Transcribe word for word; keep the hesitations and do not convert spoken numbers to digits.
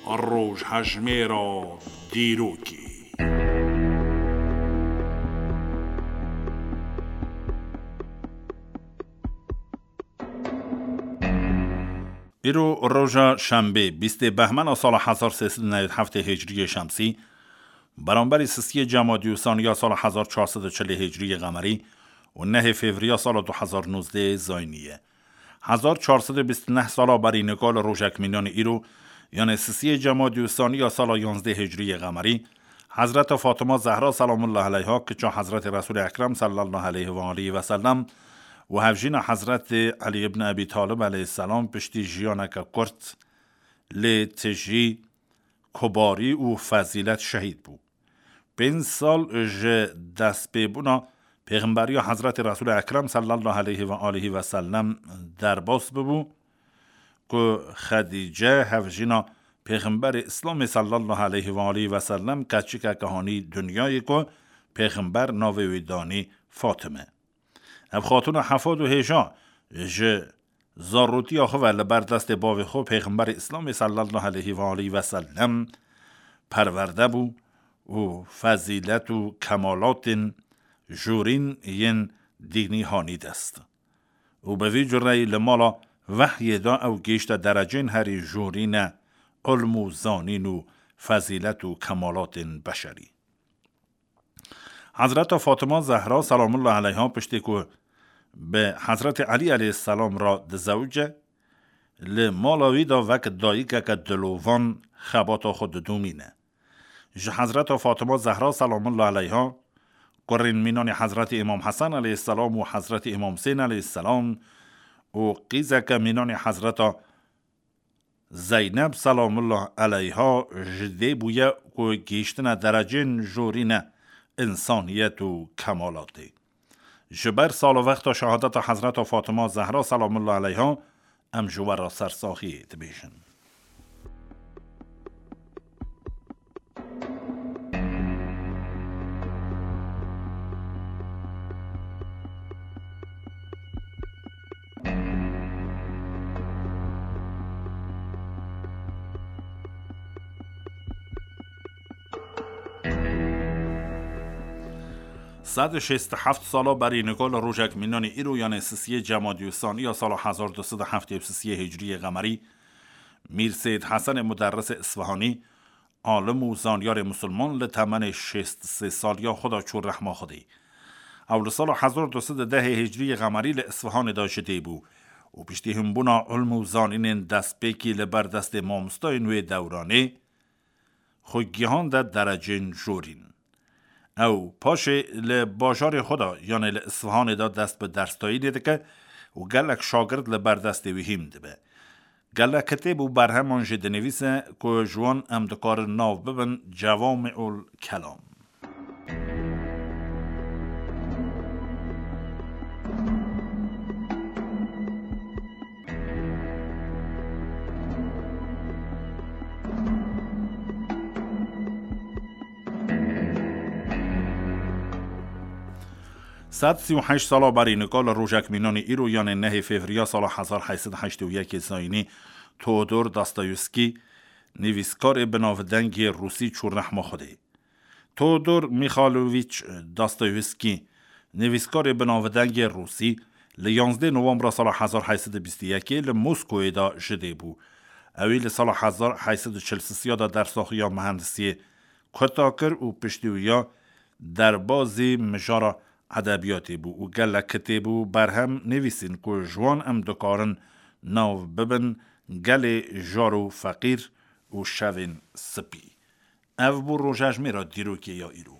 Rojhejmêra dîrokê. Îro roja şembê, bîstê behmena sala hezar sê sed û newî heftê hicriyê şemsî, beramberî sisiyê cemadî û saniya sala hezar çar sed û çilê hicriyê qemerî û nehê fevriya sala du hezar nozdeh zayniye. Hezar çar sed û bîst û neh sala berî nika li rojek mînanî îro, yanê sisiyê cemadî û saniya sala yanzdeh hicriyê qemerî, Hezreta Fatima Zehra selamullah aleyha, kiça Hezretê Resûlê Ekrem sallallahu aleyhi ve aleyhi ve sellem û hevjîna Hezretê Elî ibn Ebî Talib aleyhisselam piştî jiyaneke kurt lê tijî, kubarî û fezîlet şehîd bû. Pênc sal ji destpêbûna Pêxemberiya Hezretê Resûlê Ekrem sallallahu aleyhi ve aleyhi ve sellem derbas bibû ku Xedîce hevjîna Pêxemberê Îslamê sallallahu aleyhi ve aleyhi ve sellem keçikeke hanî dinyayê ku Pêxember navê wî danî Fatime. Ev xatûna hefad û hêja ji zarûtiya xwe ve li ber destê bavê xwe Pêxemberê Îslamê sallallahu aleyhi ve aleyhi ve sellem perwerde bû û fezîlet û kemalatên jorîn yên dînî hanî dest. Û bi vî cureyî li mala vehyê de ew gihîşte derecên herî jorîne ilm û zanîn û fezîlet û kemalatên beşerî. Hezreta Fatima Zehra selamullah aleyha piştî ku bi Hezretê Elî aleyhisselam re dizewice, li mala wî de wek dayikeke dilovan xebata xwe didomîne. Ji Hezreta Fatima Zehra selamullah aleyha, kurên mînanê Hezretê Îmam Hesen aleyhisselam û Hezretê Îmam Husên aleyhisselam û qîzeke mînanê Hezreta Zeyneb selamullah aleyha ji dê bûye ku gihîştine derecên jorîne însaniyet û kemalatê. Ji ber sal û wexta şehadeta Hezreta Fatima Zehra selamullah aleyha em ji we re sersaxiyê dibêjin. Sed û şêst û heft sala berî nika li rojek mînanî îro, yanê sisiyê cemadî û saniya sala hezar du sed û heftê û sisiyê hicriyê qemerî, Mîr Seyîd Hesenê Muderrisê Isfihanî, alim û zanyarê musulman, li temenê şêst û sê saliya xwe de çû rehma Xwedê. Ew li sala hezar du sed û dehê hicriyê qemerî li Isfihanê de ji dê bû û piştî hinbûna ilm û zanînên destpêkî li ber destê mamostayên wê dewranê, xwe gihande derecên jorîn. Ew paşê li bajarê xwe de, yanê li Isfihanê de dest bi derstayînê dike û gelek şagirt li ber destê wî hîn dibe. Gelek kitêb û berheman jî dinivîse ku ji wan em dikarin nav bibin Cewami'ul Kelam. Sed sî û heşt sala berî nika li rojek mînanî îro, yanê nehê fevriya sala hezar heyt sed heştê û yekê zayînî, Teodor Dostoyevskî, nivîskarê binavdengê rûsî, çû rehma Xwedê. Teodor Mîxalowîç Dostoyevskî, nivîskarê binavdengê rûsî, li yanzdeh novembra sala hezar heyt sed û bîst û yekê li Moskoyê de ji dê bû. Ewî li sala hezar heyt sed û çil sisiya de dersaxiya mihendisiyê kuta kir û piştî wî ya derbazî mijara edebiyatê bû û gelek kitêb û berhem nivîsîn ku ji wan em dikarin nav bibin Gelê Jar û Feqîr û Şevên Spî. Ev bû rojejmêra dîrokê ya îro.